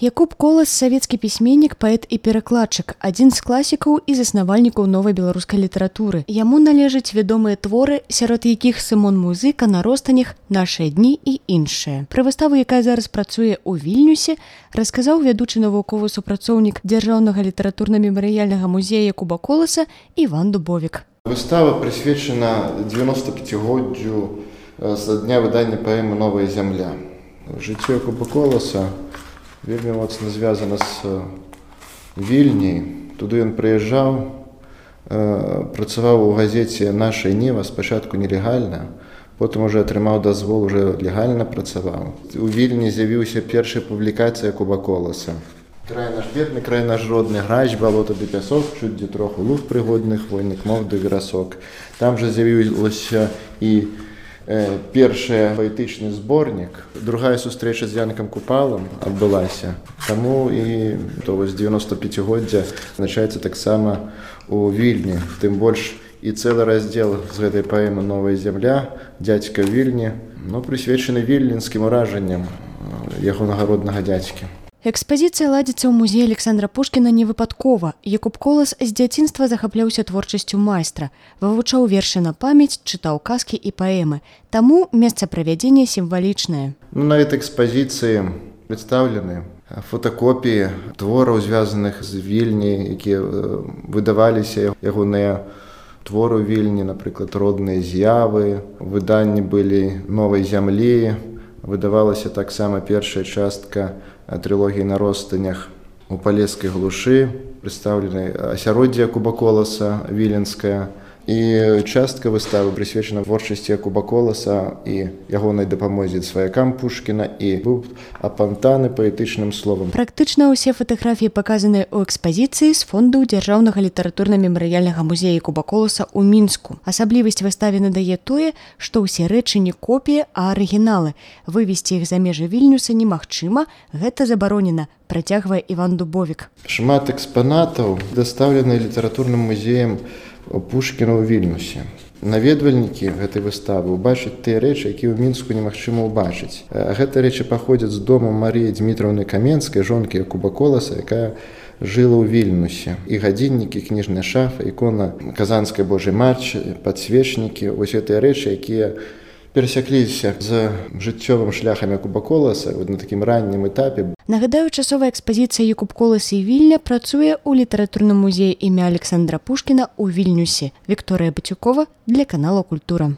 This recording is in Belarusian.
Якуб Колас – савецкі пісьменнік, паэт і перакладчык, адзін з класікаў і заснавальнікаў новай беларускай літаратуры. Яму належаць вядомыя творы, сярод якіх Сымон Музыка, На ростанях, Нашыя дні і іншыя. Пра выставу, якая зараз працуе ў Вільнюсе, расказаў вядучы навуковы супрацоўнік Дзяржаўнага літаратурна-мемарыяльнага музея Якуба Коласа Іван Дубовік. Выстава прысвечана 95-годдзю з дня выдання паэмы «Новая зямля». Жыццё Якуба Коласа вельмі моцна звязана з Вільняй. Туды ён прыязджаў, працаваў у газеце «Наша Ніва», спачатку нелегальна, потым уже атрымаў дазвол, уже легальна працаваў. У Вільні з'явіўся першая публікацыя Якуба Коласа. «Край наш бедны, край наш родны, грач, балота ды пясок, чуць дзе троху луг прыгодных, войнік мов ды верасок». Там жа з'явілася і першы паэтычны зборнік. Другая сустрэча з Янкам Купалам адбылася. Таму і 95-годдзя адзначаецца таксама у Вільні. Тым больш і цэлы раздзел з гэтай паэмы «Новая зямля», «Дзядзька Вільні», прысвечаны вільнінскім уражанням ягонага роднага дзядзькі. Экспазіцыя ладзіцца ў музеі Александра Пушкіна не выпадкова. Якуб Колас з дзяцінства захапляўся творчасцю майстра, вывучаў вершы на памяць, чытаў казкі і паэмы. Таму месца правядзення сімвалічнае. На этой экспазіцыі прадстаўлены фотакопіі твораў, звязаных з Вільняй, якія выдаваліся ягоныя творы ў Вільні, напрыклад, «Родныя з'явы», выданні былі «Новай зямлі», выдавалася таксама першая частка трылогіі «На ростанях» у палескай глушы, прадстаўленай асяроддзе Якуба Коласа, віленская, і частка выставы прысвечана творчасці Якуба Коласа і ягонай дапамозе сваякам Пушкіна, і быў апантаны паэтычным словам. Практычна ўсе фатаграфіі паказаныя ў экспазіцыі з фонду Дзяржаўнага літаратурна-мемарыяльнага музея Якуба Коласа ў Мінску. Асаблівасць выставе надае тое, што ўсе рэчы не копіі, а арыгіналы. Вывезці іх за межы Вільнюса немагчыма, гэта забаронена, працягвае Іван Дубовік. Шмат экспанатаў дастаўлены літаратурным музеем Пушкіна ў Вільнюсе. Наведвальнікі гэтай выставы ўбачаць тыя рэчы, якія ў Мінску немагчыма ўбачыць. Гэтыя рэчы паходзяць з дому Марыі Дзмітраўны Каменскай, жонкі Якуба Коласа, якая жыла ў Вільнюсе. І гадзіннікі, кніжная шафа, ікона Казанскай Божай Матчы, падсвечнікі, вось гэтыя рэчы, якія перасякліся з жыццёвым шляхам Якуба Коласа на такім раннім этапе. Нагадаю, часовая экспазіцыя Якуб Колас і Вільня працуе ў літаратурным музеі імя Александра Пушкіна ў Вільнюсе. Вікторыя Батюкова для канала «Культура».